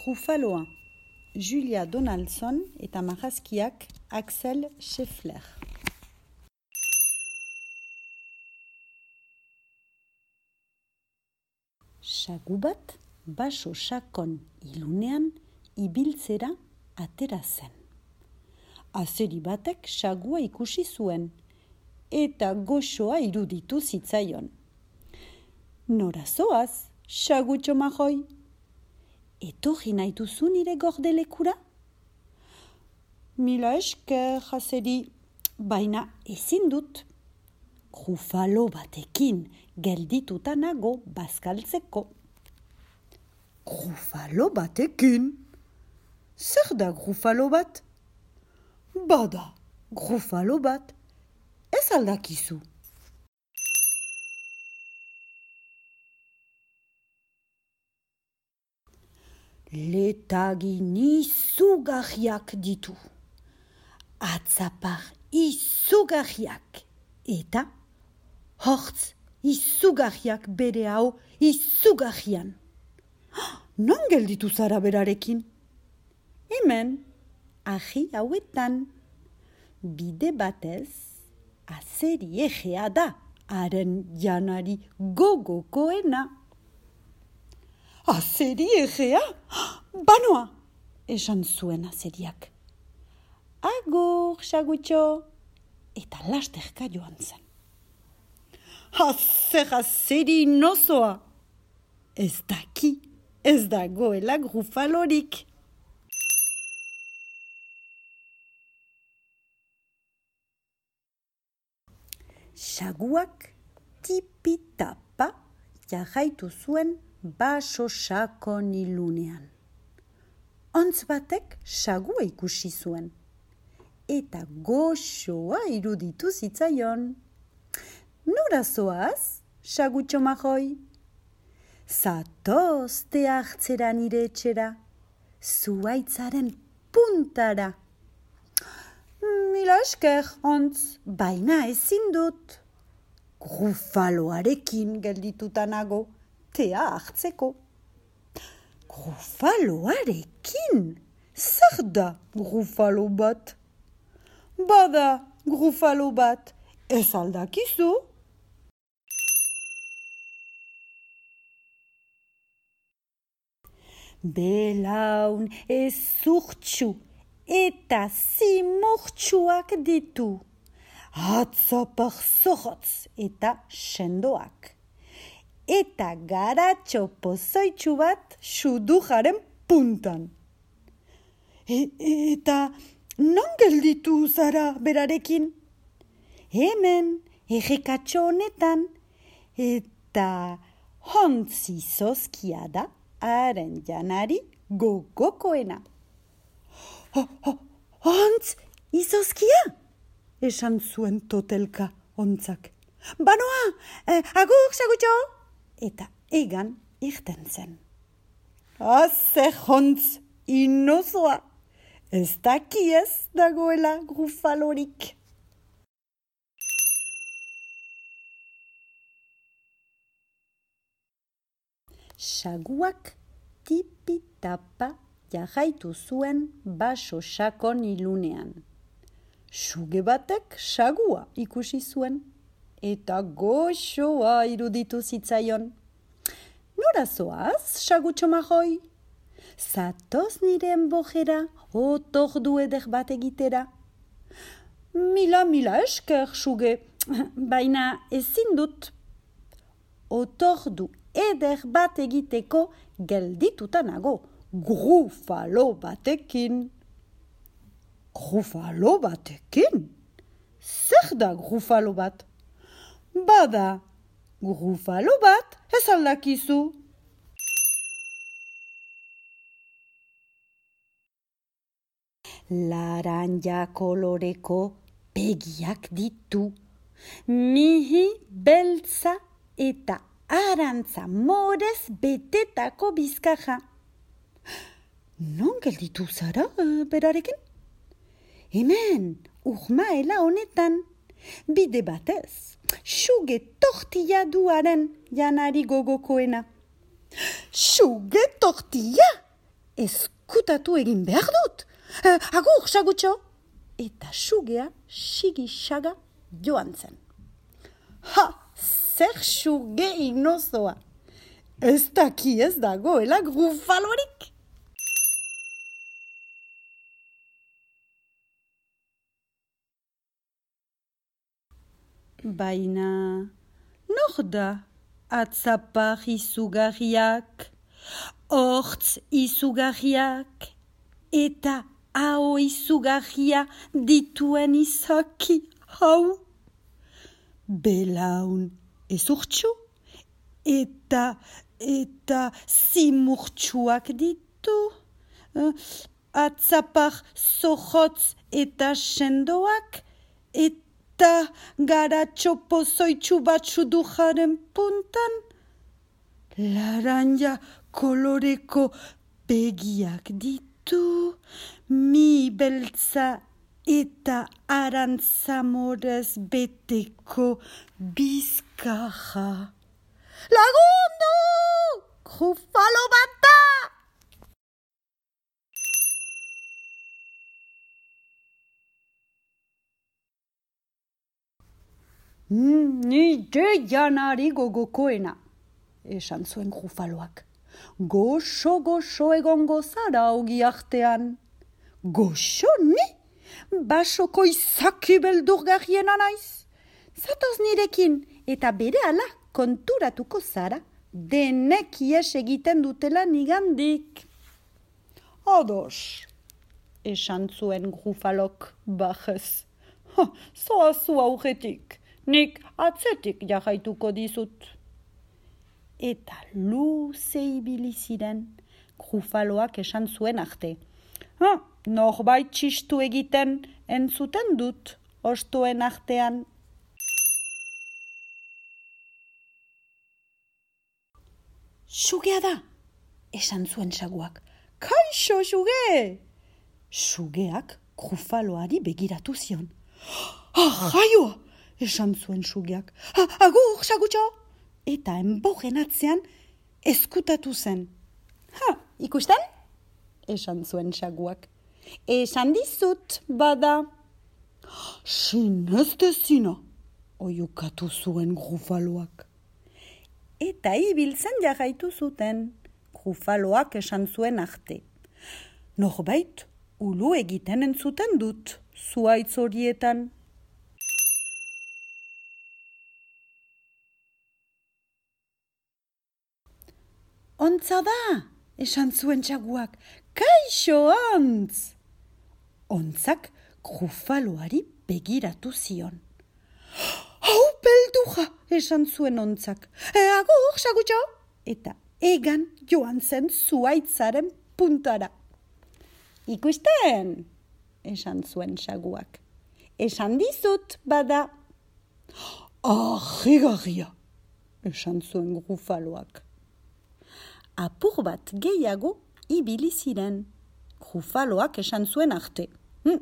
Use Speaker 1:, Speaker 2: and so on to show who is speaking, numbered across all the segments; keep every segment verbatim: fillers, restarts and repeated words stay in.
Speaker 1: Gruffaloa, Julia Donaldson eta marrazkiak Axel Scheffler. Sagu bat baso sakon ilunean ibiltzera atera zen. Azeri batek sagua ikusi zuen eta goxoa iruditu zitzaion. Nora zoaz, sagutxo majoi? Etorri nahi duzu nire gordelekura? Mila esker, azeri, baina ezin dut. Grufalo batekin geldituta nago bazkaltzeko. Grufalo batekin? Zer da grufalo bat? Bada, grufalo bat, ez aldakizu. Letagin izugarriak ditu. Atzapar izugarriak eta hortz izugarriak bere hau izugarrian. Non gelditu zara berarekin? Hemen, ahi hauetan, bide batez, azeri egea da, haren janari gogokoena. Azeri egea? Banoa, esan zuen azeriak. Agur, sagutxo, eta lasterka joan zen. Azer azeri nozoa, ez daki, ez dagoela grufalorik. Saguak tipitapa jarraitu zuen baso sakon ilunean. Ontz batek sagua ikusi zuen, eta goxoa iruditu zitzaion. Nora zoaz, sagutxo majoi? Zatoz te hartzera nire etxera, zuaitzaren puntara. Mila esker, ontz, baina ezin dut. Grufaloarekin geldituta nago, tea hartzeko. Grufaloarekin? Zer da grufalo bat? Bada, grufalo bat, ez aldakizu? Belaun ezurtxu eta zimurtxuak ditu. Atzapar zorrotz eta sendoak. Eta garatxo pozoitxu bat sudujaren puntan. E, eta non gelditu zara berarekin? Hemen, errekatxo honetan, eta hontzi zozkia da haren janari gogokoena. Ho, ho, ontz, izozkia? Esan zuen totelka ontzak. Banoa, eh, agur, sagutxo? Eta egan irten zen. Azer ontz, inozoa, ez dakiez dagoela grufalorik. Saguak tipitapa jarraitu zuen baso sakon ilunean. Suge batek sagua ikusi zuen, eta goxoa iruditu zitzaion. Nora zoaz, sagutxo majoi? Zatoz nire enbojera, otordu eder bat egitera. Mila, mila esker, suge, baina ezin dut. Otordu eder bat egiteko geldituta nago, grufalo batekin. Grufalo batekin? Zer da grufalo bat? Bada, grufalo bat ez aldakizu. Laranja koloreko begiak ditu. Mihi beltza eta arantza morez betetako bizkaja. Non gelditu zara berarekin? Hemen, urmaela honetan, bide batez, suge tortilla duaren janari gogokoena. Suge tortilla? eskutatu egin behar dut. Eh, agur, sagutxo. Eta sugea sigi-saga joan zen. Ha, zer suge inozoa. Ez daki ez dagoela grufalorik. Baina, nor da atzapar izugarriak, hortz izugarriak, eta hau izugarria dituen izaki hau? Belaun ezurtxu, eta, eta zimurtxuak ditu. Atzapar zorrotz eta sendoak, eta garatxo pozoitxu batzu dujaren puntan. Laranja koloreko begiak ditu, mi beltza eta arantzamorez beteko bizkarra. Lagundu! Grufalo bata! Mm, nire janari gogokoena, esan zuen grufaloak. Goxo-goxo egongo zara ogi artean. Goxo ni? Basoko izaki beldurgarriena naiz. Zatoz nirekin eta berehala konturatuko zara denek ies egiten dutela nigandik. Ados, esan zuen grufalok bajez. Zoazu aurretik. Nik atzetik jarraituko dizut. Eta luze ibili ziren, grufaloak esan zuen arte. Ha, norbait txistu egiten entzuten dut, ostoen artean. Sugea da, esan zuen saguak. Kaixo, suge! Sugeak grufaloari begiratu zion. Ah, jaioa! Esan zuen sugeak. Agur, sagutxo! Eta enbogen atzean eskutatu zen. Ha, ikusten? Esan zuen saguak. Esan dizut, bada. Sinez dezina, oiukatu zuen grufaloak. Eta ibiltzen jarraitu zuten. Grufaloak esan zuen arte. Norbait, ulu egiten entzuten dut, zuaitz horietan. Ontza da, esan zuen txaguak. Kaixo ontz! Ontzak grufaloari begiratu zion. Hau beldurra, esan zuen ontzak. E, agur, sagutxo! Eta egan joan zen zuaitzaren puntara. Ikusten, esan zuen saguak. Esan dizut, bada. Ahigarria, esan zuen grufaloak. Apur bat gehiago ibili ziren. Grufaloak esan zuen arte. Hm,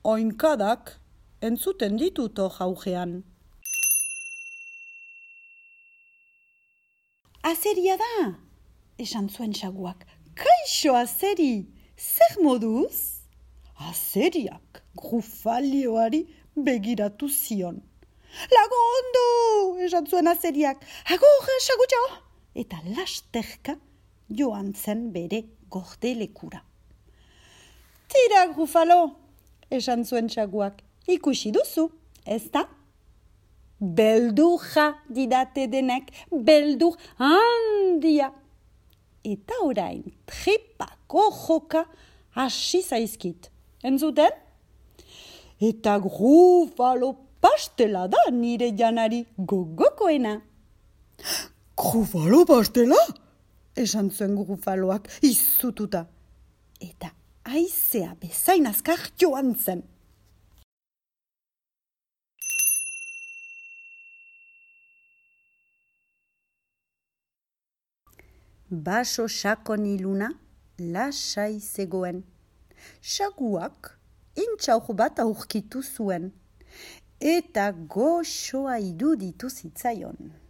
Speaker 1: oinkadak entzuten ditut hor jaujean. Azeria da, esan zuen saguak. Kaixo azeri, zer moduz? Azeriak grufalioari begiratu zion. Lagundu, esan zuen azeriak. Agur, sagutxo! Eta lasterka joan zen bere gordelekura. Tira, grufalo, esan zuen saguak. Ikusi duzu, ez da? Beldurra didate denek, beldur handia. Eta orain trepako joka hasi zaizkit. Entzuten? Eta grufalo pastela da nire janari gogokoena. Grufalo pastela? Esan zuen grufaloak izututa. Eta haizea bezain azkar joan zen. Baso sakon iluna lasai zegoen. Saguak intxaur bat aurkitu zuen. Eta goxoa iruditu zitzaion.